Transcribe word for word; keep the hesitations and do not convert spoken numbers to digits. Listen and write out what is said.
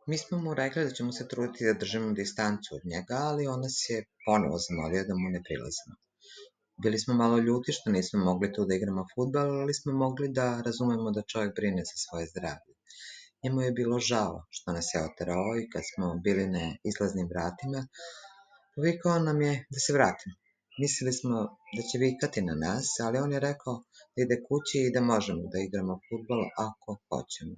Mi smo mu rekli da ćemo se truditi da držimo distancu od njega, ali on nas je ponovo zamolio da mu ne prilazimo. Bili smo malo ljuti što nismo mogli tu da igramo fudbal, ali smo mogli da razumemo da čovjek brine za svoje zdravlje. Njemu je bilo žao što nas je oterao i kad smo bili na izlaznim vratima, povikao nam je da se vratimo. Mislili smo da će vikati na nas, ali on je rekao da ide kući i da možemo da igramo fudbal ako hoćemo.